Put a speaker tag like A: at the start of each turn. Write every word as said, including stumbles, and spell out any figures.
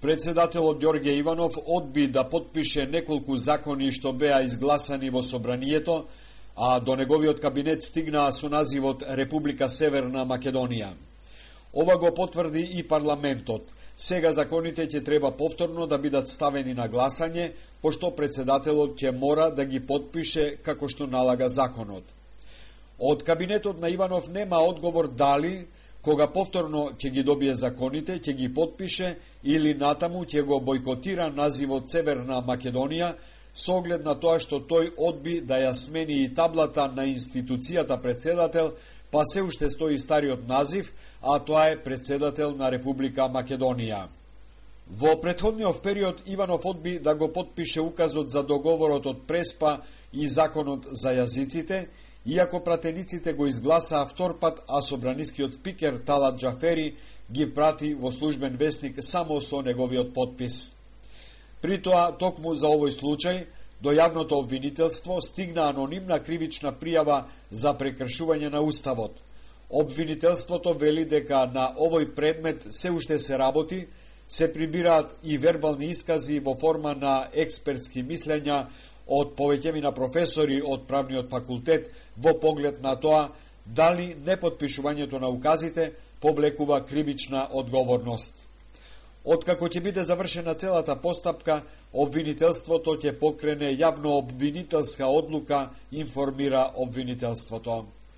A: Председателот Ѓорѓе Иванов одби да потпише неколку закони што беа изгласани во собранието, а до неговиот кабинет стигнаа со називот Република Северна Македонија. Ова го потврди и парламентот. Сега законите ќе треба повторно да бидат ставени на гласање, пошто председателот ќе мора да ги потпише како што налага законот. Од кабинетот на Иванов нема одговор дали, кога повторно ќе ги добие законите, ќе ги потпише или натаму ќе го бойкотира називот Северна Македонија, со оглед на тоа што тој одби да ја смени и таблата на институцијата председател, па се уште стои стариот назив, а тоа е председател на Република Македонија. Во претходниот период Иванов одби да го потпише указот за договорот од Преспа и законот за јазиците, иако пратениците го изгласаа втор пат, а собранискиот спикер Талат Џафери ги прати во службен весник само со неговиот потпис. При тоа, токму за овој случај, до јавното обвинителство стигна анонимна кривична пријава за прекршување на Уставот. Обвинителството вели дека на овој предмет се уште се работи, се прибираат и вербални искази во форма на експертски мислења од повеќемина професори од правниот факултет во поглед на тоа дали непотпишувањето на указите повлекува кривична одговорност. Откако ќе биде завршена целата постапка, обвинителството ќе покрене јавно обвинителска одлука, информира обвинителството.